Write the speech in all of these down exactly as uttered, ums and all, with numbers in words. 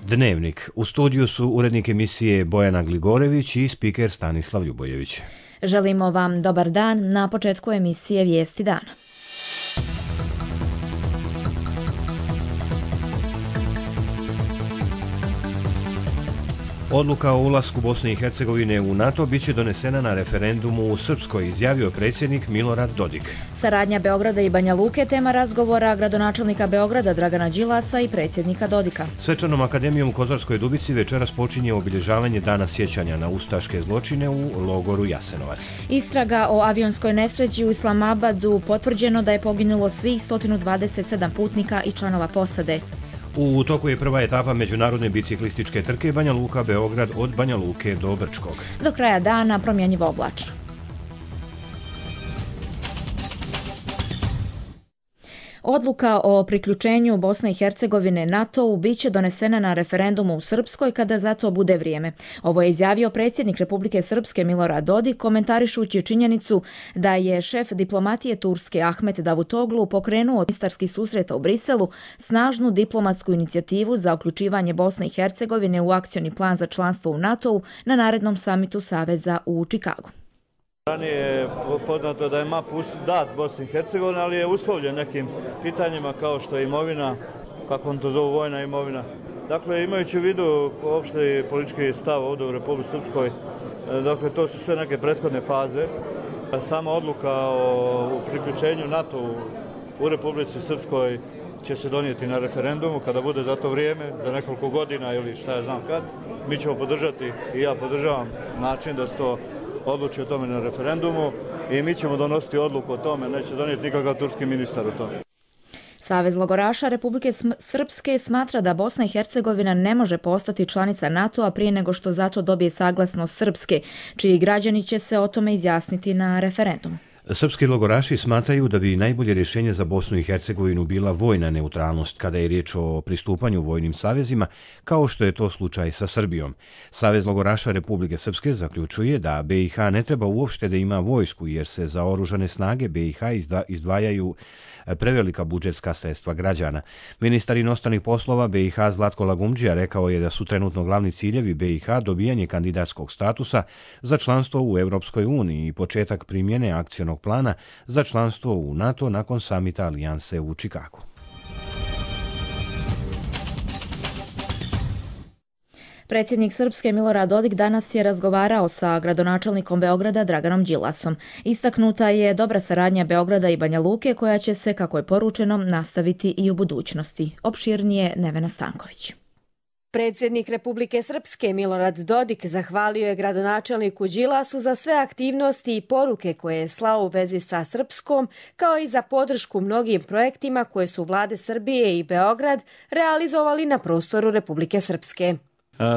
Dnevnik. U studiju su urednik emisije Bojana Gligorević i spiker Stanislav Ljubojević. Želimo vam dobar dan na početku emisije Vijesti dana. Odluka o ulasku Bosne i Hercegovine u NATO biće donesena na referendumu u Srpskoj, izjavio predsjednik Milorad Dodik. Saradnja Beograda i Banja Luke tema razgovora gradonačelnika Beograda Dragana Đilasa i predsjednika Dodika. Svečanom akademijom u Kozarskoj Dubici večeras počinje obilježavanje Dana sjećanja na ustaške zločine u logoru Jasenovac. Istraga o avionskoj nesreći u Islamabadu, potvrđeno da je poginulo svih sto dvadeset sedam putnika i članova posade. U toku je prva etapa međunarodne biciklističke trke Banja Luka-Beograd od Banja Luke do Brčkog. Do kraja dana promjenjivo oblačno. Odluka o priključenju Bosne i Hercegovine NATO-u biće donesena na referendumu u Srpskoj kada za to bude vrijeme. Ovo je izjavio predsjednik Republike Srpske Milorad Dodik, komentarišući činjenicu da je šef diplomatije Turske Ahmet Davutoglu pokrenuo ministarski susreta u Briselu snažnu diplomatsku inicijativu za uključivanje Bosne i Hercegovine u akcioni plan za članstvo u NATO-u na narednom samitu Saveza u Čikagu. Ranije je poznato da je M A P dat Bosni i Hercegovini, ali je uslovljen nekim pitanjima kao što je imovina, kako on to zove, vojna imovina. Dakle, imajući u vidu opšte politički stav ovdje u Republici Srpskoj, dakle, to su sve neke prethodne faze. Sama odluka o priključenju NATO u Republici Srpskoj će se donijeti na referendumu kada bude za to vrijeme, za nekoliko godina ili šta ja znam kad. Mi ćemo podržati i ja podržavam način da se to odluči o tome na referendumu i mi ćemo donositi odluku o tome, neće donijeti nikakav turski ministar o tome. Savez logoraša Republike Srpske smatra da Bosna i Hercegovina ne može postati članica NATO-a prije nego što zato dobije saglasnost Srpske, čiji građani će se o tome izjasniti na referendumu. Srpski logoraši smatraju da bi najbolje rješenje za Bosnu i Hercegovinu bila vojna neutralnost kada je riječ o pristupanju vojnim savezima, kao što je to slučaj sa Srbijom. Savez logoraša Republike Srpske zaključuje da B i H ne treba uopšte da ima vojsku, jer se za oružane snage B i H izdvajaju prevelika budžetska sredstva građana. Ministar inostranih poslova B i H Zlatko Lagumdžija rekao je da su trenutno glavni ciljevi B i H dobijanje kandidatskog statusa za članstvo u Europskoj uniji i početak primjene akcionog plana za članstvo u NATO nakon samita alijanse u Čikagu. Predsjednik Srpske Milorad Dodik danas je razgovarao sa gradonačelnikom Beograda Draganom Đilasom. Istaknuta je dobra saradnja Beograda i Banja Luke koja će se, kako je poručeno, nastaviti i u budućnosti. Opširnije Nevena Stanković. Predsjednik Republike Srpske Milorad Dodik zahvalio je gradonačelniku Đilasu za sve aktivnosti i poruke koje je slao u vezi sa Srpskom, kao i za podršku mnogim projektima koje su vlade Srbije i Beograd realizovali na prostoru Republike Srpske.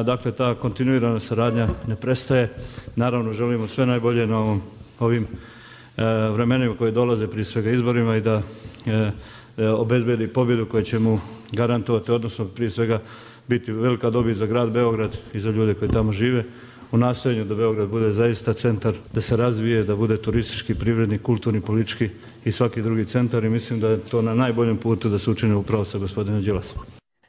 Dakle, ta kontinuirana saradnja ne prestaje. Naravno, želimo sve najbolje na ovom, ovim e, vremenima koje dolaze, prije svega izborima, i da e, e, obezbedi pobjedu koju će mu garantovati, odnosno prije svega biti velika dobit za grad Beograd i za ljude koji tamo žive, u nastojanju da Beograd bude zaista centar, da se razvije, da bude turistički, privredni, kulturni, politički i svaki drugi centar, i mislim da je to na najboljem putu da se učini upravo sa gospodinom Đilasom.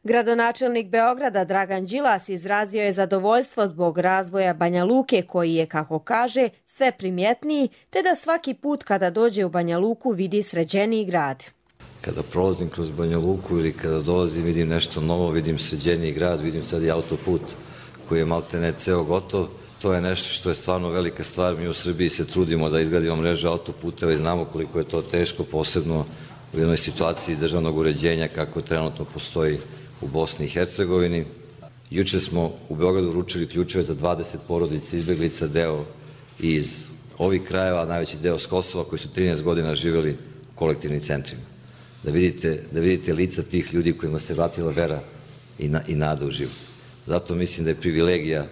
Gradonačelnik Beograda Dragan Đilas izrazio je zadovoljstvo zbog razvoja Banja Luke, koji je, kako kaže, sve primjetniji, te da svaki put kada dođe u Banja Luku vidi sređeniji grad. Kada prolazim kroz Banja Luku ili kada dolazim vidim nešto novo, vidim sređeniji grad, vidim sad i autoput koji je maltene ceo gotov. To je nešto što je stvarno velika stvar. Mi u Srbiji se trudimo da izgradimo mrežu autoputeva i znamo koliko je to teško, posebno u jednoj situaciji državnog uređenja kako trenutno postoji u Bosni i Hercegovini. Juče smo u Beogradu uručili ključeve za dvadeset porodica izbjeglica, deo iz ovih krajeva, najveći deo s Kosova, koji su trinaest godina živjeli u kolektivnim centrima. Da vidite, da vidite lica tih ljudi kojima se vratila vera i, na, i nada u život. Zato mislim da je privilegija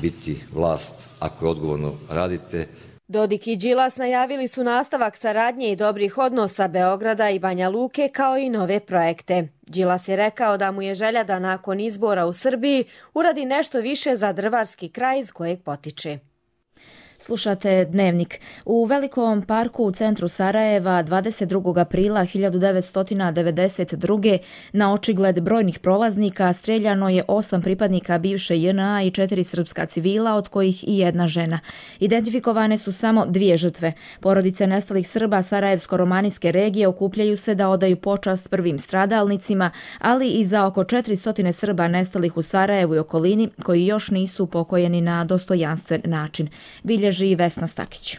biti vlast ako je odgovorno radite. Dodik i Đilas najavili su nastavak saradnje i dobrih odnosa Beograda i Banja Luke, kao i nove projekte. Đilas je rekao da mu je želja da nakon izbora u Srbiji uradi nešto više za drvarski kraj iz kojeg potiče. Slušate Dnevnik. U Velikom parku u centru Sarajeva dvadeset drugog aprila hiljadu devetsto devedeset druge na očigled brojnih prolaznika streljano je osam pripadnika bivše J N A i četiri srpska civila, od kojih i jedna žena. Identifikovane su samo dvije žrtve. Porodice nestalih Srba Sarajevsko-romanijske regije okupljaju se da odaju počast prvim stradalnicima, ali i za oko četiristo Srba nestalih u Sarajevu i okolini koji još nisu pokojeni na dostojanstven način. Bilježi Vesna Stakić.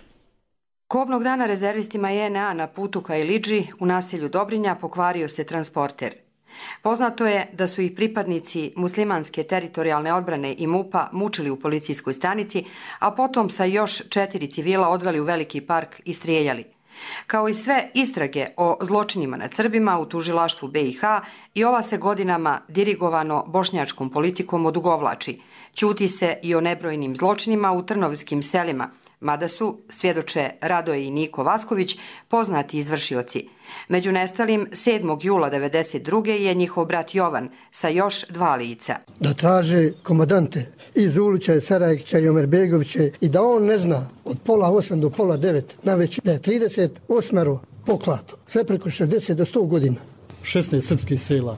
Kobnog dana rezervistima J N A na putu ka Ilidži u naselju Dobrinja pokvario se transporter. Poznato je da su ih pripadnici muslimanske teritorijalne odbrane i MUP-a mučili u policijskoj stanici, a potom sa još četiri civila odveli u Veliki park i strijeljali. Kao i sve istrage o zločinima nad Srbima u tužilaštvu B i H, i ova se godinama dirigovano bošnjačkom politikom odugovlači. Ćuti se i o nebrojnim zločinima u trnovskim selima, mada su, svjedoče Radoje i Niko Vasković, poznati izvršioci. Među nestalim sedmog jula devedeset druge je njihov brat Jovan sa još dva lica. Da traže komandante iz Ulića, Sarajkića i Omerbegovića i da on ne zna od pola osam do pola devet na već da je trideset osam poklato, sve preko šezdeset do sto godina. šesnaest srpskih sela,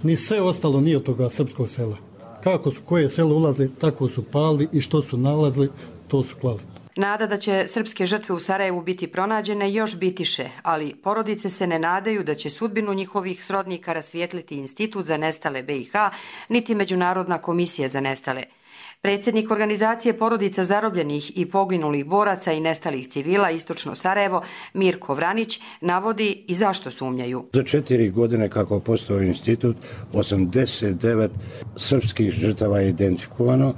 ni sve ostalo nije od toga srpskog sela. Kako su koje selo ulazili, tako su pali i što su nalazili, to su klali. Nada da će srpske žrtve u Sarajevu biti pronađene još bitiše, ali porodice se ne nadaju da će sudbinu njihovih srodnika rasvijetliti Institut za nestale B i H, niti Međunarodna komisija za nestale. Predsjednik organizacije porodica zarobljenih i poginulih boraca i nestalih civila Istočno Sarajevo, Mirko Vranić, navodi i zašto sumnjaju. Za četiri godine kako postoji institut, osamdeset devet srpskih žrtava je identifikovano,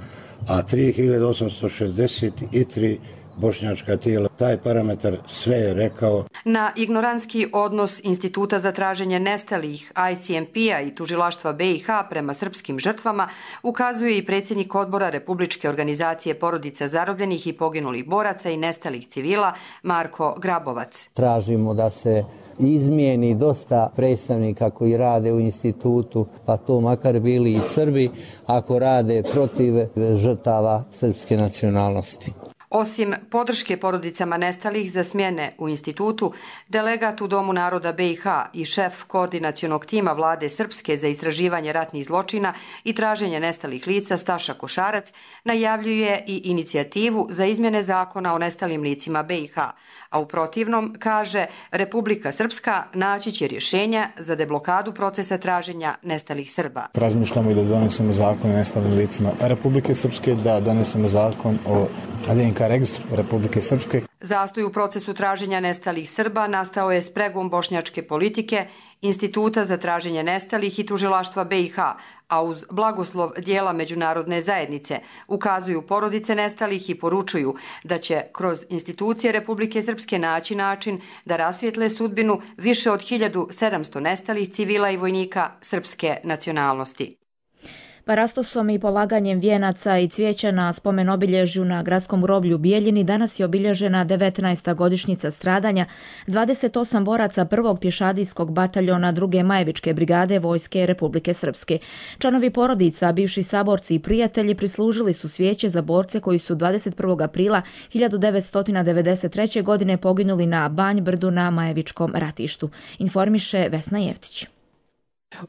a tri hiljade osamsto šezdeset tri bošnjačka tijela. Taj parametar sve je rekao. Na ignorantski odnos Instituta za traženje nestalih I C M P-a i tužilaštva B i H prema srpskim žrtvama ukazuje i predsjednik odbora Republičke organizacije porodica zarobljenih i poginulih boraca i nestalih civila Marko Grabovac. Tražimo da se izmijeni dosta predstavnika koji rade u institutu, pa to makar bili i Srbi, ako rade protiv žrtava srpske nacionalnosti. Osim podrške porodicama nestalih za smjene u institutu, delegat u Domu naroda B i H i šef koordinacionog tima vlade Srpske za istraživanje ratnih zločina i traženje nestalih lica Staša Košarac najavljuje i inicijativu za izmjene zakona o nestalim licima B i H, a u protivnom, kaže, Republika Srpska naći će rješenja za deblokadu procesa traženja nestalih Srba. Razmišljamo i da donesemo zakon o nestalim licima Republike Srpske, da donesemo zakon o D N K registru Republike Srpske. Zastoj u procesu traženja nestalih Srba nastao je spregom bošnjačke politike, Instituta za traženje nestalih i tužilaštva B i H, a uz blagoslov dijela međunarodne zajednice ukazuju porodice nestalih i poručuju da će kroz institucije Republike Srpske naći način da rasvijetle sudbinu više od hiljadu sedamsto nestalih civila i vojnika srpske nacionalnosti. Parastosom i polaganjem vijenaca i cvijeća na spomen obilježju na gradskom groblju u Bijeljini danas je obilježena devetnaesta godišnjica stradanja dvadeset osam boraca prvog pješadijskog bataljona druge Majevičke brigade Vojske Republike Srpske. Članovi porodica, bivši saborci i prijatelji prislužili su cvijeće za borce koji su dvadeset prvog aprila hiljadu devetsto devedeset treće. godine poginuli na Banj Brdu na Majevičkom ratištu, informiše Vesna Jeftić.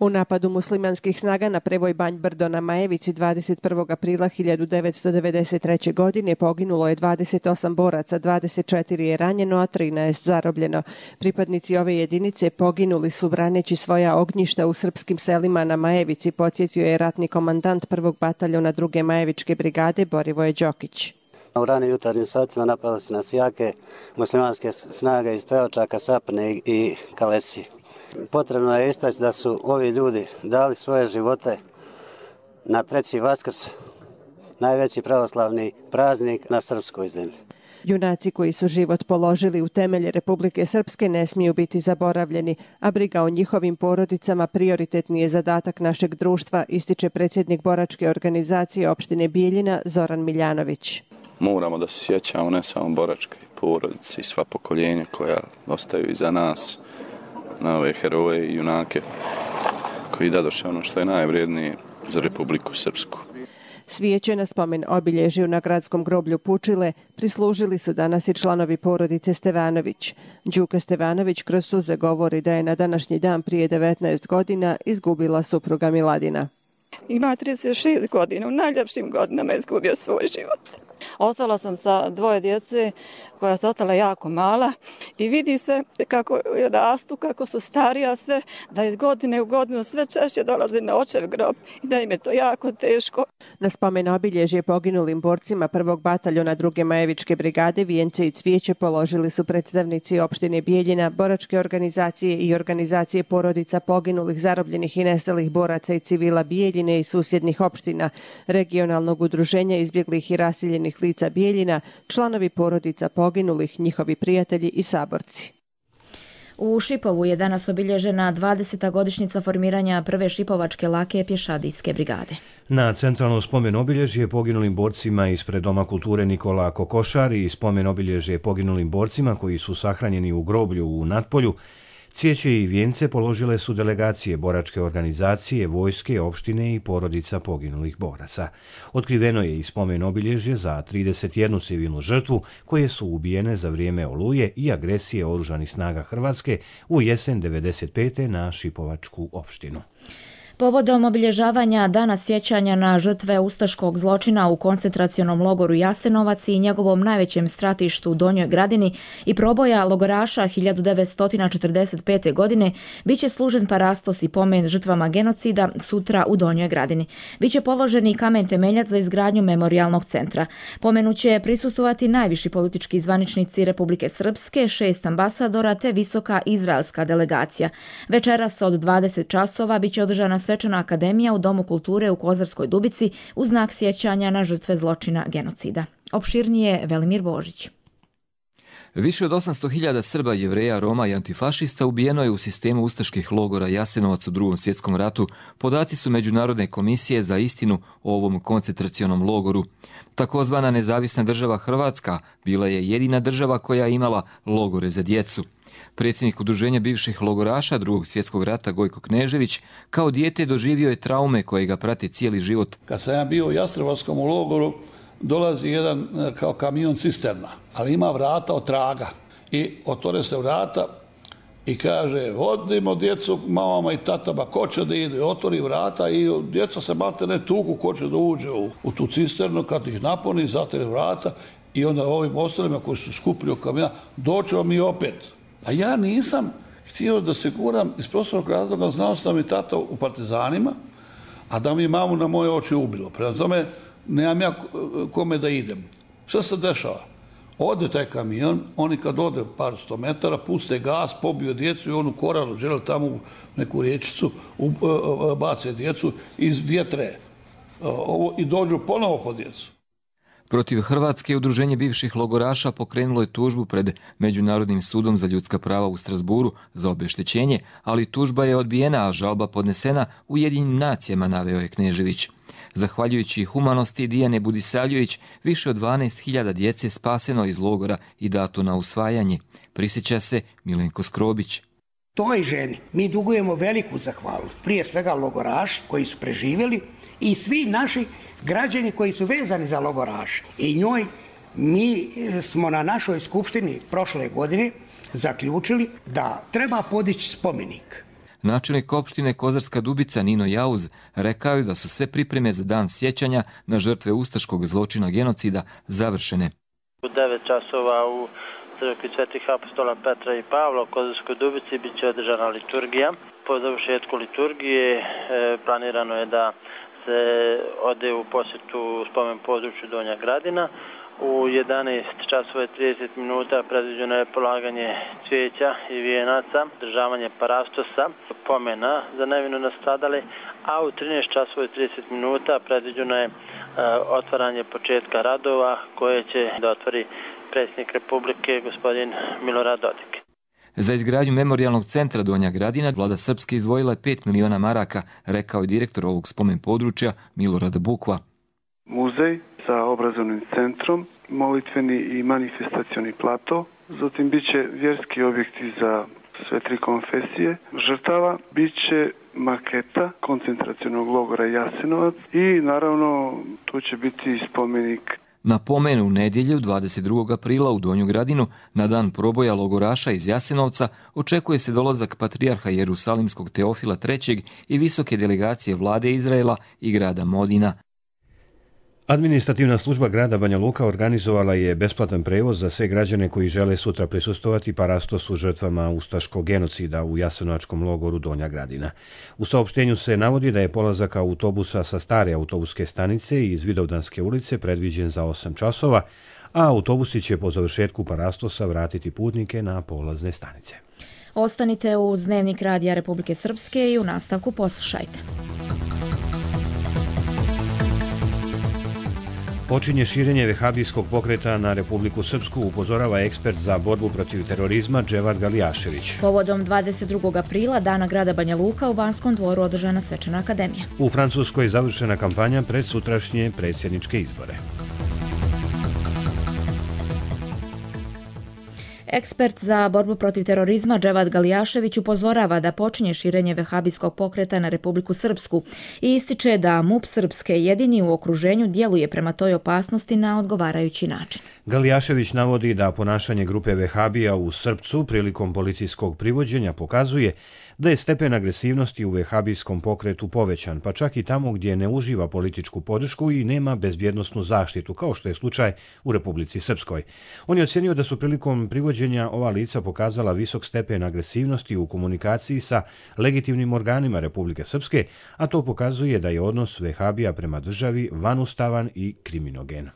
U napadu muslimanskih snaga na prevoj Banj Brdo na Majevici dvadeset prvog aprila hiljadu devetsto devedeset treće. godine poginulo je dvadeset osam boraca, dvadeset četiri je ranjeno, a trinaest zarobljeno. Pripadnici ove jedinice poginuli su braneći svoja ognjišta u srpskim selima na Majevici, podsjetio je ratni komandant prvog bataljona druge Majevičke brigade Borivoje Đokić. U ranim jutarnjim satima napale se nas jake muslimanske snage iz Teočaka, Sapne i Kalesi. Potrebno je istaći da su ovi ljudi dali svoje živote na treći Vaskrs, najveći pravoslavni praznik na srpskoj zemlji. Junaci koji su život položili u temelje Republike Srpske ne smiju biti zaboravljeni, a briga o njihovim porodicama prioritetni je zadatak našeg društva, ističe predsjednik boračke organizacije opštine Bijeljina Zoran Miljanović. Moramo da se sjećamo ne samo boračke porodice i sva pokoljenja koja ostaju iza nas, na ove heroje i junake koji dadoše ono što je najvrijednije za Republiku Srpsku. Svijeće na spomen obilježju na gradskom groblju Pučile prislužili su danas i članovi porodice Stevanović. Đuka Stevanović kroz suze govori da je na današnji dan prije devetnaest godina izgubila supruga Miladina. Ima trideset šest godina, u najljepšim godinama je izgubio svoj život. Ostala sam sa dvoje djece koja su ostala jako mala i vidi se kako rastu, kako su starija sve, da iz godine u godinu sve češće dolaze na očev grob i da im je to jako teško. Na spomen obilježje poginulim borcima prvog bataljona druge Majevičke brigade vijence i cvijeće položili su predstavnici opštine Bijeljina, boračke organizacije i organizacije porodica poginulih, zarobljenih i nestalih boraca i civila Bijeljine i susjednih opština, regionalnog udruženja izbjeglih i raseljenih lica Bijeljina, članovi porodica poginulih, njihovi prijatelji i saborci. U Šipovu je danas obilježena dvadeseta godišnjica formiranja prve šipovačke lake pješadijske brigade. Na centralno spomen obilježje poginulim borcima ispred Doma kulture Nikola Kokošar i spomen obilježje poginulim borcima koji su sahranjeni u groblju u Natpolju, cvijeće i vijence položile su delegacije boračke organizacije, vojske, opštine i porodica poginulih boraca. Otkriveno je i spomen obilježje za trideset jednu civilnu žrtvu koje su ubijene za vrijeme oluje i agresije oružanih snaga Hrvatske u jesen devedeset pete na Šipovačku opštinu. Povodom obilježavanja Dana sjećanja na žrtve ustaškog zločina u koncentracionom logoru Jasenovac i njegovom najvećem stratištu u Donjoj Gradini i proboja logoraša hiljadu devetsto četrdeset pete. godine, biće služen parastos i pomen žrtvama genocida sutra u Donjoj Gradini. Biće položen i kamen temeljac za izgradnju memorijalnog centra. Pomenu će prisustvovati najviši politički zvaničnici Republike Srpske, šest ambasadora te visoka izraelska delegacija. Večeras od dvadeset časova biće održana svečana akademija u Domu kulture u Kozarskoj Dubici u znak sjećanja na žrtve zločina genocida. Opširnije Velimir Božić. Više od osamsto hiljada Srba, Jevreja, Roma i antifašista ubijeno je u sistemu ustaških logora Jasenovac u Drugom svjetskom ratu. Podaci su Međunarodne komisije za istinu o ovom koncentracionom logoru. Takozvana nezavisna država Hrvatska bila je jedina država koja je imala logore za djecu. Predsjednik udruženja bivših logoraša Drugog svjetskog rata Gojko Knežević kao dijete doživio je traume koje ga prate cijeli život. Kad sam ja bio u Jastrebarskom logoru, dolazi jedan kao kamion cisterna, ali ima vrata od traga. I otvore se vrata i kaže, vodimo djecu mamama i tatama, ko će da ide, otvori vrata i djeca se malte ne tuku, ko će da uđe u, u tu cisternu, kad ih napuni, zatvore vrata i onda ovim ostalima koji su skupili u kamiona, doćemo mi opet. A ja nisam htio da se guram iz prostornog razloga, znao sam mi tata u partizanima, a da mi mamu na moje oči ubilo. Prema tome, nemam ja kome da idem. Šta se dešava? Ode taj kamion, oni kad ode par sto metara, puste gas, pobiju djecu i onu koralu, žele tamo u neku riječicu, bace djecu iz vjetre i dođu ponovo po djecu. Protiv Hrvatske udruženje bivših logoraša pokrenulo je tužbu pred Međunarodnim sudom za ljudska prava u Strasburu za obeštećenje, ali tužba je odbijena, a žalba podnesena Ujedinjenim nacijama, naveo je Knežević. Zahvaljujući humanosti Dijane Budisavljević, više od dvanaest hiljada djece spaseno iz logora i dato na usvajanje. Prisjeća se Milenko Skrobić. Toj ženi mi dugujemo veliku zahvalnost, prije svega logoraši koji su preživjeli i svi naši građani koji su vezani za logoraše. I njoj mi smo na našoj skupštini prošle godine zaključili da treba podići spomenik. Načelnik opštine Kozarska Dubica Nino Jauz rekao je da su sve pripreme za dan sjećanja na žrtve ustaškog zločina genocida završene. U devet časova u crkvi Svetih apostola Petra i Pavla u Kozarskoj Dubici bit će održana liturgija. Po završetku liturgije e, planirano je da se ode u posjetu spomen području Donja Gradina. U jedanaest časova i trideset minuta predviđeno je polaganje cvijeća i vijenaca, državanje parastosa, pomena za nevino nastradale, a u trinaest časova i trideset minuta predviđeno je e, otvaranje početka radova koje će da otvori predsjednik Republike gospodin Milorad Dodik. Za izgradnju memorijalnog centra Donja Gradina vlada Srpske izdvojila je pet miliona maraka, rekao je direktor ovog spomen područja Milorad Bukva. Muzej sa obrazovnim centrom, molitveni i manifestacioni plato, zatim bit će vjerski objekti za sve tri konfesije žrtava, bit će maketa koncentracionog logora Jasenovac i naravno tu će biti spomenik. Na pomenu u nedjelju dvadeset drugog aprila u Donju Gradinu, na dan proboja logoraša iz Jasenovca, očekuje se dolazak patrijarha Jerusalimskog Teofila trećeg i visoke delegacije vlade Izraela i grada Modina. Administrativna služba grada Banja Luka organizovala je besplatan prevoz za sve građane koji žele sutra prisustvovati parastosu žrtvama ustaškog genocida u jasenovačkom logoru Donja Gradina. U saopštenju se navodi da je polazak autobusa sa stare autobuske stanice i iz Vidovdanske ulice predviđen za osam časova, a autobusi će po završetku parastosa vratiti putnike na polazne stanice. Ostanite uz Dnevnik Radija Republike Srpske i u nastavku poslušajte. Počinje širenje vehabijskog pokreta na Republiku Srpsku, upozorava ekspert za borbu protiv terorizma Dževad Galijašević. Povodom dvadeset drugog aprila, Dana grada Banja Luka, u Banskom dvoru održana svečana akademija. U Francuskoj je završena kampanja pred sutrašnje predsjedničke izbore. Ekspert za borbu protiv terorizma Dževad Galijašević upozorava da počinje širenje vehabijskog pokreta na Republiku Srpsku i ističe da MUP Srpske jedini u okruženju djeluje prema toj opasnosti na odgovarajući način. Galijašević navodi da ponašanje grupe vehabija u Srpcu prilikom policijskog privođenja pokazuje da je stepen agresivnosti u vehabijskom pokretu povećan, pa čak i tamo gdje ne uživa političku podršku i nema bezbjednosnu zaštitu, kao što je slučaj u Republici Srpskoj. On je ocenio da su prilikom privođenja ova lica pokazala visok stepen agresivnosti u komunikaciji sa legitimnim organima Republike Srpske, a to pokazuje da je odnos vehabija prema državi vanustavan i kriminogen.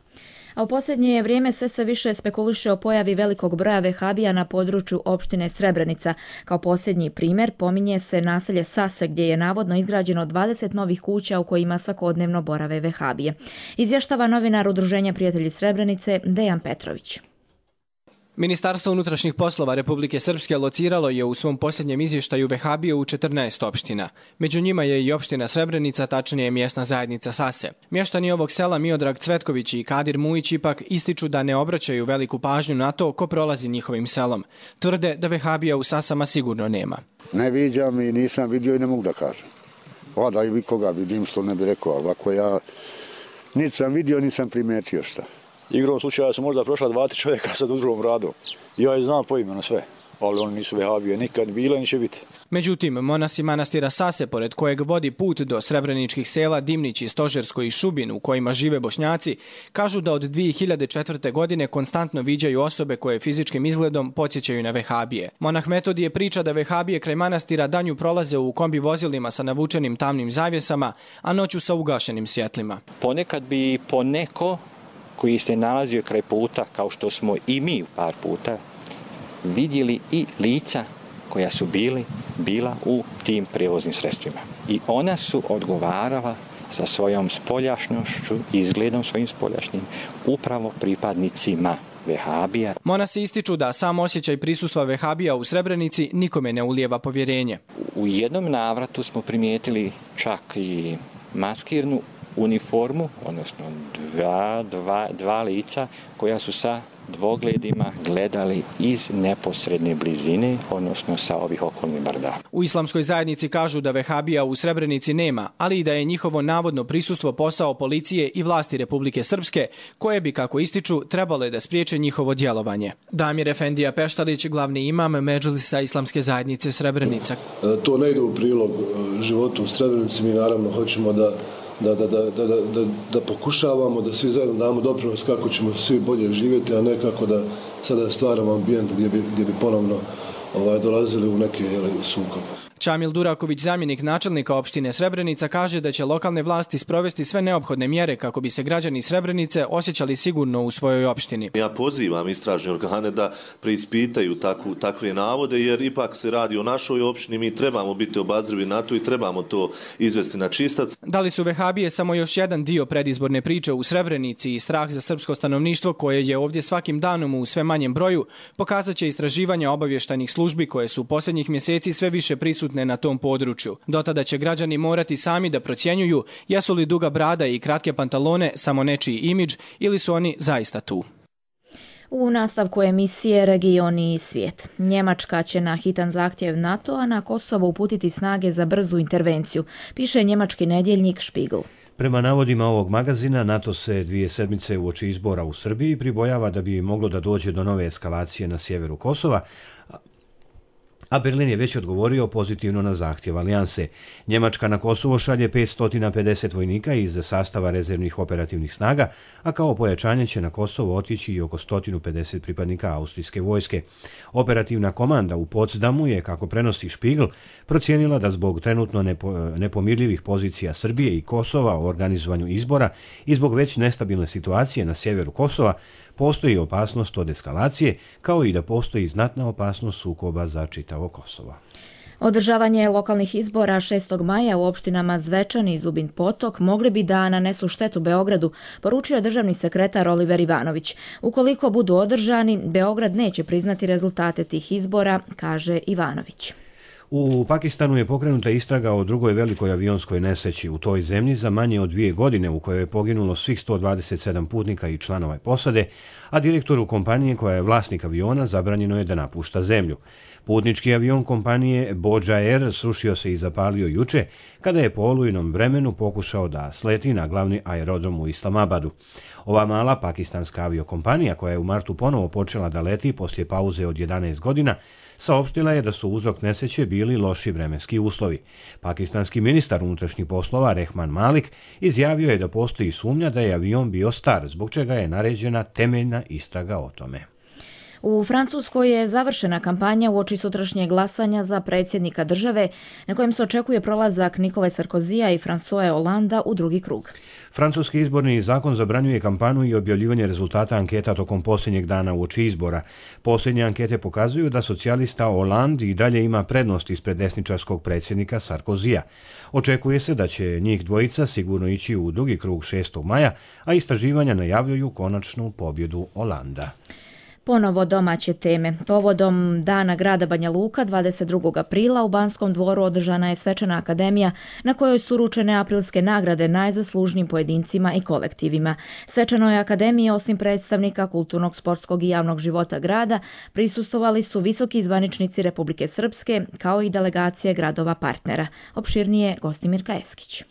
A u posljednje vrijeme sve se više spekuliše o pojavi velikog broja vehabija na području opštine Srebrenica. Kao posljednji primjer pominje se naselje Sase, gdje je navodno izgrađeno dvadeset novih kuća u kojima svakodnevno borave vehabije. Izvještava novinar Udruženja prijatelji Srebrenice Dejan Petrović. Ministarstvo unutrašnjih poslova Republike Srpske lociralo je u svom posljednjem izvještaju vehabije u četrnaest opština. Među njima je i opština Srebrenica, tačnije mjesna zajednica Sase. Mještani ovog sela Miodrag Cvetković i Kadir Mujić ipak ističu da ne obraćaju veliku pažnju na to ko prolazi njihovim selom. Tvrde da vehabija u Sasama sigurno nema. Ne viđam i nisam vidio i ne mogu da kažem. Vada i koga vidim što ne bi rekao, ali ako ja niti sam vidio, nisam primetio šta. Igrom slučaja su možda prošla dva, tri čovjeka sa udrugom radom. Ja je znam po imenu sve, ali oni nisu vehabije nikad bile, ni će biti. Međutim, monasi manastira Sase, pored kojeg vodi put do srebreničkih sela Dimnić i Stožersko i Šubin, u kojima žive Bošnjaci, kažu da od dvije hiljade četvrte. godine konstantno viđaju osobe koje fizičkim izgledom podsjećaju na vehabije. Monah Metodije priča da vehabije kraj manastira danju prolaze u kombi vozilima sa navučenim tamnim zavjesama, a noću sa ugašenim svjetlima. Ponekad bi poneko koji se nalazio kraj puta, kao što smo i mi par puta, vidjeli i lica koja su bili, bila u tim prijevoznim sredstvima. I ona su odgovarala sa svojom spoljašnošću, izgledom svojim spoljašnjim, upravo pripadnicima vehabija. Monasi ističu da sam osjećaj prisustva vehabija u Srebrenici nikome ne ulijeva povjerenje. U jednom navratu smo primijetili čak i maskirnu uniformu, odnosno dva, dva, dva lica koja su sa dvogledima gledali iz neposredne blizine, odnosno sa ovih okolnih brda. U islamskoj zajednici kažu da vehabija u Srebrenici nema, ali i da je njihovo navodno prisustvo posao policije i vlasti Republike Srpske, koje bi, kako ističu, trebale da spriječe njihovo djelovanje. Damir Efendija Peštalić, glavni imam Medžlisa islamske zajednice Srebrenica. To ne ide u prilog životu u Srebrenici, mi naravno hoćemo da Da, da, da, da, da, da pokušavamo, da svi zajedno damo doprinos kako ćemo svi bolje živjeti, a ne kako da sada stvaramo ambijent gdje bi, gdje bi ponovno ovaj, dolazili u neke sukobe. Čamil Duraković, zamjenik načelnika opštine Srebrenica, kaže da će lokalne vlasti sprovesti sve neophodne mjere kako bi se građani Srebrenice osjećali sigurno u svojoj opštini. Ja pozivam istražne organe da preispitaju takvu, takve navode, jer ipak se radi o našoj opštini, mi trebamo biti obazrivi na to i trebamo to izvesti na čistac. Da li su vehabije samo još jedan dio predizborne priče u Srebrenici i strah za srpsko stanovništvo koje je ovdje svakim danom u sve manjem broju, pokazat će istraživanja obavještajnih službi koje su u posljednjih mjeseci sve više prisutne na tom području. Do tada će građani morati sami da procjenjuju jesu li duga brada i kratke pantalone samo nečiji imidž ili su oni zaista tu. U nastavku emisije Region i svijet. Njemačka će na hitan zahtjev NATO-a na Kosovo uputiti snage za brzu intervenciju, piše njemački nedjeljnik Spiegel. Prema navodima ovog magazina, NATO se dvije sedmice uoči izbora u Srbiji pribojava da bi moglo da dođe do nove eskalacije na sjeveru Kosova, a Berlin je već odgovorio pozitivno na zahtjev alijanse. Njemačka na Kosovo šalje petsto pedeset vojnika iz sastava rezervnih operativnih snaga, a kao pojačanje će na Kosovo otići i oko sto pedeset pripadnika austrijske vojske. Operativna komanda u Potsdamu je, kako prenosi Spiegel, procijenila da zbog trenutno nepo, nepomirljivih pozicija Srbije i Kosova o organizovanju izbora i zbog već nestabilne situacije na sjeveru Kosova postoji opasnost od eskalacije, kao i da postoji znatna opasnost sukoba za čitavo Kosovo. Održavanje lokalnih izbora šestog maja u opštinama Zvečan i Zubin Potok mogli bi da nanesu štetu Beogradu, poručio državni sekretar Oliver Ivanović. Ukoliko budu održani, Beograd neće priznati rezultate tih izbora, kaže Ivanović. U Pakistanu je pokrenuta istraga o drugoj velikoj avionskoj nesreći u toj zemlji za manje od dvije godine u kojoj je poginulo svih sto dvadeset sedam putnika i članova posade, a direktoru kompanije koja je vlasnik aviona zabranjeno je da napušta zemlju. Putnički avion kompanije Boja Air srušio se i zapalio juče kada je po olujnom vremenu pokušao da sleti na glavni aerodrom u Islamabadu. Ova mala pakistanska aviokompanija koja je u martu ponovo počela da leti poslije pauze od jedanaest godina saopštila je da su uzrok nesreće bili loši vremenski uslovi. Pakistanski ministar unutrašnjih poslova Rehman Malik izjavio je da postoji sumnja da je avion bio star, zbog čega je naređena temeljna istraga o tome. U Francuskoj je završena kampanja uoči sutrašnjeg glasanja za predsjednika države, na kojem se očekuje prolazak Nikole Sarkozija i François Hollanda u drugi krug. Francuski izborni zakon zabranjuje kampanju i objavljivanje rezultata anketa tokom posljednjeg dana uoči izbora. Posljednje ankete pokazuju da socijalista Hollande i dalje ima prednost ispred desničarskog predsjednika Sarkozija. Očekuje se da će njih dvojica sigurno ići u drugi krug šestog maja, a istraživanja najavljuju konačnu pobjedu Hollanda. Ponovo domaće teme. Povodom Dana grada Banja Luka dvadeset drugog aprila u Banskom dvoru održana je svečana akademija na kojoj su uručene aprilske nagrade najzaslužnijim pojedincima i kolektivima. Svečanoj akademiji, osim predstavnika kulturnog, sportskog i javnog života grada, prisustvovali su visoki zvaničnici Republike Srpske kao i delegacije gradova partnera. Opširnije Gostimirka Eskić.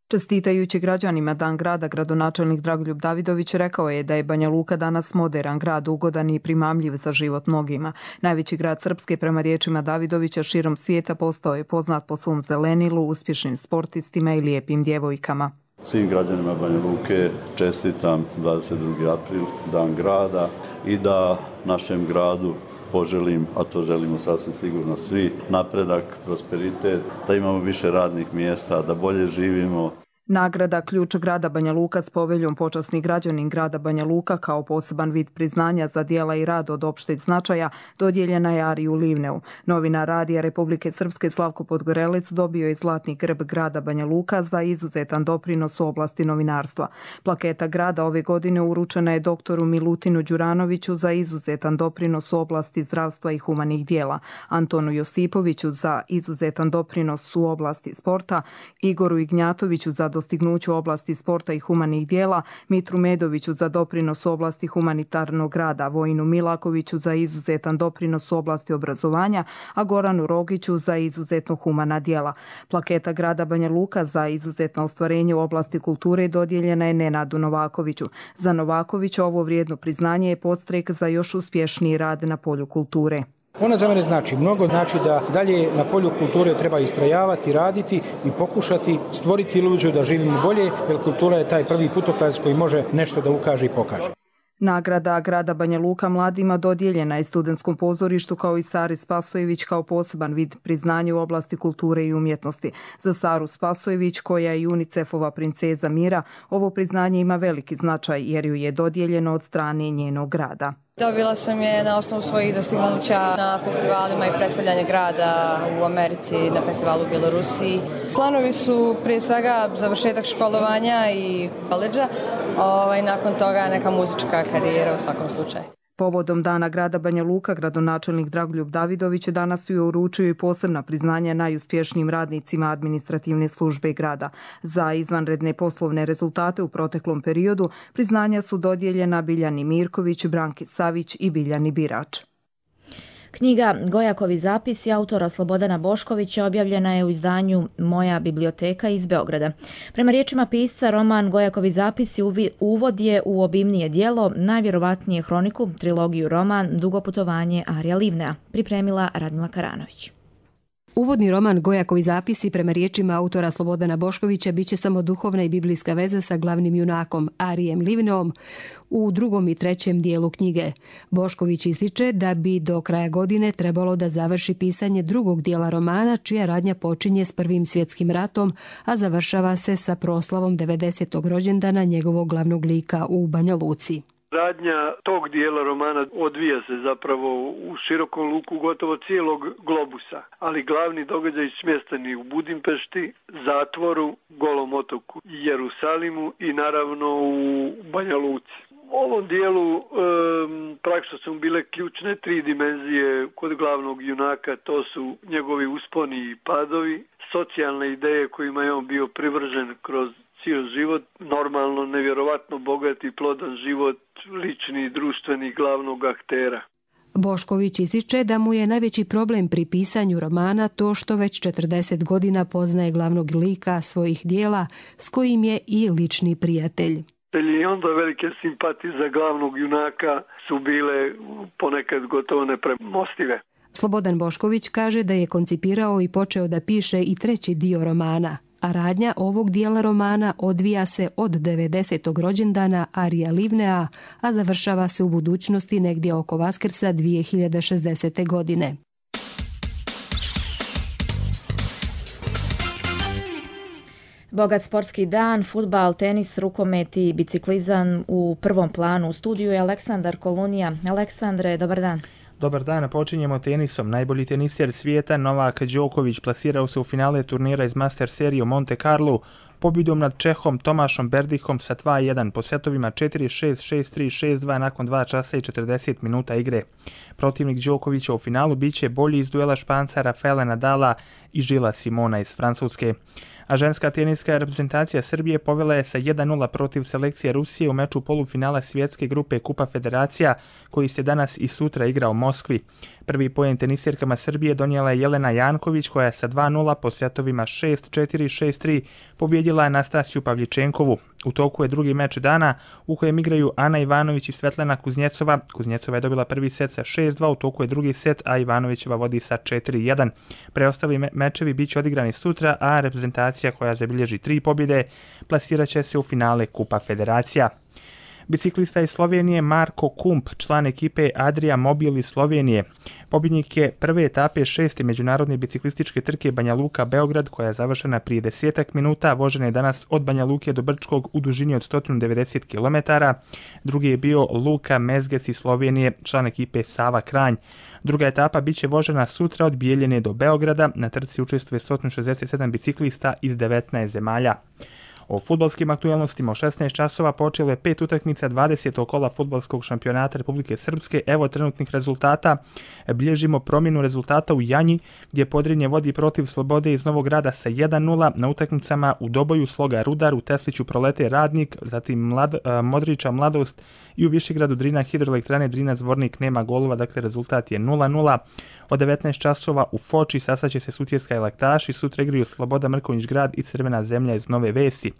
Čestitajući građanima Dan grada, gradonačelnik Dragoljub Davidović rekao je da je Banja Luka danas moderan grad, ugodan i primamljiv za život mnogima. Najveći grad Srpske, prema riječima Davidovića, širom svijeta postao je poznat po svom zelenilu, uspješnim sportistima i lijepim djevojkama. Svim građanima Banja Luke čestitam dvadeset drugi april, Dan grada, i da našem gradu poželim, a to želimo sasvim sigurno svi, napredak, prosperitet, da imamo više radnih mjesta, da bolje živimo. Nagrada Ključ grada Banja Luka s poveljom Počasni građanin grada Banja Luka kao poseban vid priznanja za djela i rad od opšteg značaja dodijeljena je Ariju Livneu. Novinar Radija Republike Srpske Slavko Podgorelec dobio je zlatni grb grada Banja Luka za izuzetan doprinos u oblasti novinarstva. Plaketa grada ove godine uručena je doktoru Milutinu Đuranoviću za izuzetan doprinos u oblasti zdravstva i humanih djela, Antonu Josipoviću za izuzetan doprinos u oblasti sporta, Igoru Ignjatoviću za dostignuću u oblasti sporta i humanih djela, Mitru Medoviću za doprinos u oblasti humanitarnog rada, Vojinu Milakoviću za izuzetan doprinos u oblasti obrazovanja, a Goranu Rogiću za izuzetno humana djela. Plaketa grada Banja Luka za izuzetno ostvarenje u oblasti kulture dodijeljena je Nenadu Novakoviću. Za Novakovića ovo vrijedno priznanje je podstrek za još uspješniji rad na polju kulture. Ona za mene znači mnogo, znači da dalje na polju kulture treba istrajavati, raditi i pokušati stvoriti iluziju da živimo bolje, jer kultura je taj prvi putokaz koji može nešto da ukaže i pokaže. Nagrada grada Banja Luka mladima dodijeljena je Studentskom pozorištu kao i Sari Spasojević kao poseban vid priznanja u oblasti kulture i umjetnosti. Za Saru Spasojević, koja je UNICEF-ova princeza mira, ovo priznanje ima veliki značaj jer ju je dodijeljeno od strane njenog grada. Dobila sam je na osnovu svojih dostignuća na festivalima i predstavljanja grada u Americi, na festivalu u Bjelorusiji. Planovi su prije svega završetak školovanja i koledža, ovaj, nakon toga neka muzička karijera u svakom slučaju. Povodom Dana grada Banja Luka, gradonačelnik Dragoljub Davidović danas je uručio i posebna priznanja najuspješnijim radnicima administrativne službe grada. Za izvanredne poslovne rezultate u proteklom periodu priznanja su dodijeljena Biljani Mirković, Branki Savić i Biljani Birač. Knjiga Gojakovi zapisi autora Slobodana Boškovića objavljena je u izdanju Moja biblioteka iz Beograda. Prema riječima pisca, roman Gojakovi zapisi uvod je u obimnije djelo, najvjerovatnije hroniku, trilogiju roman Dugo putovanje Arija Livnea, pripremila Radmila Karanović. Uvodni roman Gojakovi zapisi prema riječima autora Slobodana Boškovića biće samo duhovna i biblijska veza sa glavnim junakom Arijem Livneom u drugom i trećem dijelu knjige. Bošković ističe da bi do kraja godine trebalo da završi pisanje drugog dijela romana, čija radnja počinje s Prvim svjetskim ratom, a završava se sa proslavom devedesetog rođendana njegovog glavnog lika u Banja Luci. Radnja tog dijela romana odvija se zapravo u širokom luku gotovo cijelog globusa, ali glavni događaj smješteni u Budimpešti, zatvoru, Golom otoku, Jerusalimu i naravno u Banja Luci. U ovom dijelu um, praktično su bile ključne tri dimenzije kod glavnog junaka, to su njegovi usponi i padovi, socijalne ideje kojima je on bio privržen kroz cijel život, normalno, nevjerovatno bogat i plodan život, lični i društveni glavnog aktera. Bošković ističe da mu je najveći problem pri pisanju romana to što već četrdeset godina poznaje glavnog lika svojih dijela, s kojim je i lični prijatelj. I onda velike simpatije za glavnog junaka su bile ponekad gotovo nepremostive. Slobodan Bošković kaže da je koncipirao i počeo da piše i treći dio romana, a radnja ovog dijela romana odvija se od devedesetog rođendana Arija Livnea, a završava se u budućnosti negdje oko Vaskrsa dvije hiljade šezdesete. godine. Bogat sportski dan, fudbal, tenis, rukomet i biciklizam u prvom planu. U studiju je Aleksandar Kolunija. Aleksandre, dobar dan. Dobar dan, počinjemo tenisom. Najbolji teniser svijeta Novak Đoković plasirao se u finale turnira iz Master serije u Monte Carlo pobjedom nad Čehom Tomašom Berdihom sa dva jedan po setovima četiri šest, šest tri, šest dva nakon dva časa i četrdeset minuta igre. Protivnik Đokovića u finalu biće bolji iz duela Španca Rafaela Nadala i Žila Simona iz Francuske. A ženska teniska reprezentacija Srbije povela je sa jedan nula protiv selekcije Rusije u meču polufinala svjetske grupe Kupa Federacija koji se danas i sutra igra u Moskvi. Prvi poen tenisirkama Srbije donijela je Jelena Janković koja je sa dva nula po setovima šest četiri, šest tri pobjedila Anastasiju Pavljičenkovu. U toku je drugi meč dana u kojem igraju Ana Ivanović i Svetlana Kuznjecova. Kuznjecova je dobila prvi set sa šest dva, u toku je drugi set, a Ivanovićeva vodi sa četiri jedan. Preostali me- mečevi bit će odigrani sutra, a reprezentacija koja zabilježi tri pobjede plasirat će se u finale Kupa Federacija. Biciklista iz Slovenije Marko Kump, član ekipe Adria Mobil iz Slovenije. Pobjednik je prve etape šeste međunarodne biciklističke trke Banja Luka Beograd koja je završena prije desetak minuta. Vožena je danas od Banja Luke do Brčkog u dužini od sto devedeset kilometara. Drugi je bio Luka Mezges iz Slovenije, član ekipe Sava Kranj. Druga etapa biće vožena sutra od Bijeljine do Beograda. Na trci učestvuje sto šezdeset sedam biciklista iz devetnaest zemalja. O fudbalskim aktualnostima u šesnaest časova počelo je pet utakmica dvadesetog kola fudbalskog šampionata Republike Srpske. Evo trenutnih rezultata. Bilježimo promjenu rezultata u Janji gdje Podrinje vodi protiv Slobode iz Novog Grada sa jedan nula. Na utakmicama u Doboju Sloga Rudar, u Tesliću Prolete Radnik, zatim Mlad, Modrića Mladost i u Višegradu Drina Hidroelektrane Drina Zvornik nema golova, dakle rezultat je nula nula. Od devetnaest časova u Foči sastaće se Sutjeska i Laktaši, sutra igraju Sloboda Mrkonjić Grad i Crvena zemlja iz Nove Vesi.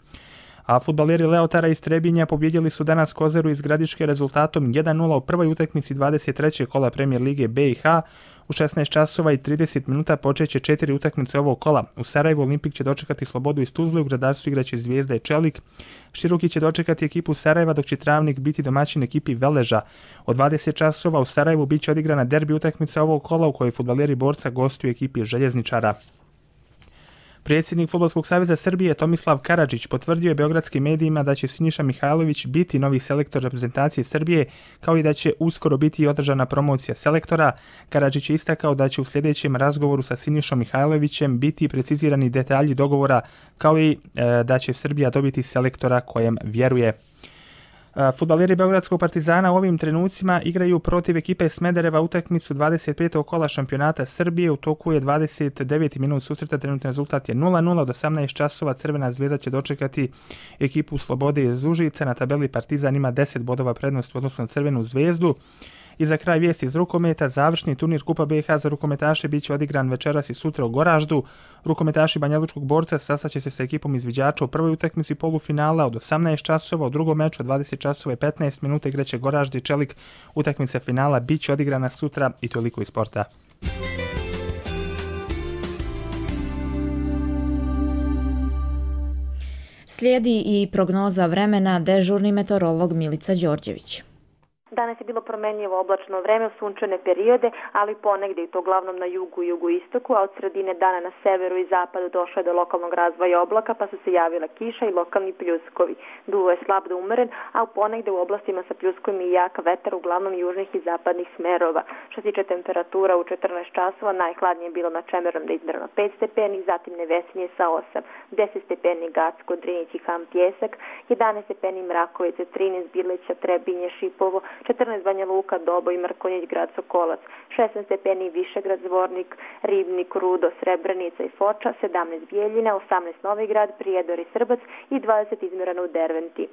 A fudbaleri Leotara iz Trebinja pobjedili su danas Kozeru iz Gradiške rezultatom jedan nula u prvoj utakmici dvadeset trećeg kola Premier Lige B i H. U šesnaest časova i trideset minuta počeće četiri utakmice ovog kola. U Sarajevu Olimpik će dočekati Slobodu iz Tuzle, u Gradarcu igraće Zvijezda i Čelik. Široki će dočekati ekipu Sarajeva, dok će Travnik biti domaćin ekipi Veleža. Od dvadeset časova u Sarajevu biće odigrana derbi utakmica ovog kola u kojoj fudbaleri Borca gostuju ekipi Željezničara. Predsjednik Fudbalskog saveza Srbije Tomislav Karadžić potvrdio je beogradskim medijima da će Siniša Mihajlović biti novi selektor reprezentacije Srbije, kao i da će uskoro biti održana promocija selektora. Karadžić je istakao da će u sljedećem razgovoru sa Sinišom Mihajlovićem biti precizirani detalji dogovora, kao i e, da će Srbija dobiti selektora kojem vjeruje. Fudbaleri Beogradskog Partizana u ovim trenucima igraju protiv ekipe Smedereva utakmicu dvadeset petog kola šampionata Srbije. U toku je dvadeset deveti minut susreta, trenutni rezultat je nula nula. Od osamnaest časova Crvena zvezda će dočekati ekipu Slobode iz Užica. Na tabeli Partizan ima deset bodova prednost u odnosu na Crvenu zvezdu. I za kraj vijesti iz rukometa, završni turnir Kupa B i H za rukometaše biće odigran večeras i sutra u Goraždu. Rukometaši Banjalučkog Borca sastaće se sa ekipom izviđača u prvoj utakmici polufinala od osamnaest časova, u drugom meču od dvadeset časova i petnaest minuta igraće Goražde i Čelik. Utakmica finala biće odigrana sutra i toliko iz sporta. Slijedi i prognoza vremena, dežurni meteorolog Milica Đorđević. Danas je bilo promenljivo oblačno vreme, sunčane periode, ali ponegdje i to uglavnom na jugu i jugoistoku, a od sredine dana na severu i zapadu došlo je do lokalnog razvoja oblaka, pa su se javila kiša i lokalni pljuskovi. Duvo je slab do umeren, a ponegdje u oblastima sa pljuskom i jak vetar, uglavnom južnih i zapadnih smerova. Što se tiče temperatura, u četrnaest časova najhladnije je bilo na Čemerom da izdrno pet stepeni, zatim Nevesinje sa osam, deset stepeni Gacko, Drinić i Ham Pjesak, jedanaest stepeni Mrakovice, trinaest Birleća, Trebinje, Šipovo, četrnaest Banja Luka, Doboj, Mrkonjić, grad Sokolac, šesnaest stepeni Višegrad, Zvornik, Ribnik, Rudo, Srebrenica i Foča, sedamnaest Bijeljina, osamnaest Novi Grad, Prijedor i Srbac i dvadeset Izmirano u Derventi.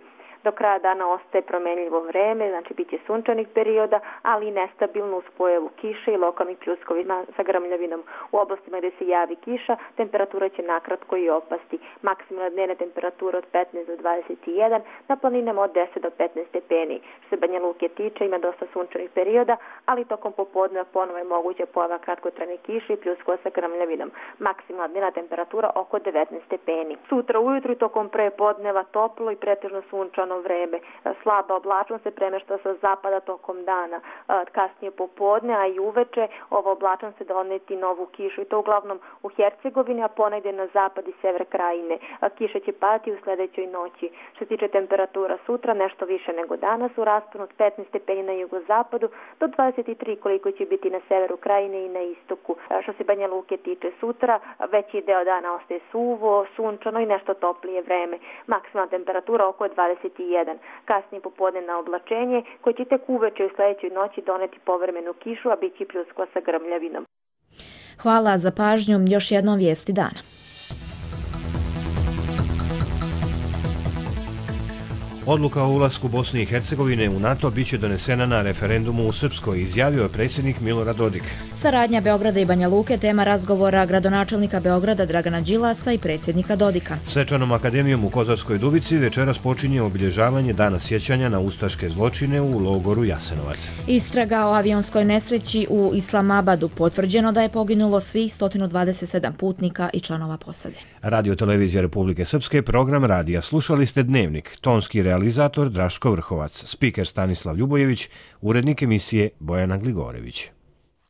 Do kraja dana ostaje promenljivo vreme, znači bit će sunčanih perioda, ali i nestabilno uz pojavu kiše i lokalnih pljuskovi sa grmljavinom. U oblastima gdje se javi kiša, temperatura će nakratko i opasti. Maksimalna dnevna temperatura od petnaest do dvadeset jedan, na planinama od deset do petnaest stepeni. Što se Banja Luke tiče, ima dosta sunčanih perioda, ali tokom popodneva ponovo je moguće pojava kratkotrajne kiše i pljuskova sa grmljavinom. Maksimalna dnevna temperatura oko devetnaest stepeni. Sutra ujutru tokom prepodneva toplo i pretežno sunčano vreme. Slaba oblačnost se premešta sa zapada tokom dana. Kasnije popodne, a i uveče, ova oblačnost se doneti novu kišu i to uglavnom u Hercegovini, a ponegdje na zapad i sever krajine. Kiša će padati u sljedećoj noći. Što se tiče temperatura sutra, nešto više nego danas, u rasponu od petnaest stepeni na jugozapadu do dvadeset tri koliko će biti na severu krajine i na istoku. Što se Banja Luke tiče sutra, veći deo dana ostaje suvo, sunčano i nešto toplije vreme. Maksimalna temperatura oko dvadeset jedan. Kasnije popodne na oblačenje, koje će tek uveče u sljedećoj noći doneti povremenu kišu, a bit će pljuskova sa grmljavinom. Hvala za pažnju. Još jednom vijesti dana. Odluka o ulasku Bosne i Hercegovine u NATO biće donesena na referendumu u Srpskoj, izjavio je predsjednik Milorad Dodik. Saradnja Beograda i Banja Luke tema razgovora gradonačelnika Beograda Dragana Đilasa i predsjednika Dodika. Svečanom akademijom u Kozarskoj Dubici večeras počinje obilježavanje Dana sjećanja na ustaške zločine u logoru Jasenovac. Istraga o avionskoj nesreći u Islamabadu, potvrđeno da je poginulo svih sto dvadeset sedam putnika i članova posade. Radio Televizija Republike Srpske, program radija. Slušali ste Dnevnik, tonski realizator Draško Vrhovac, spiker Stanislav Ljubojević, urednik emisije Bojana Gligorević.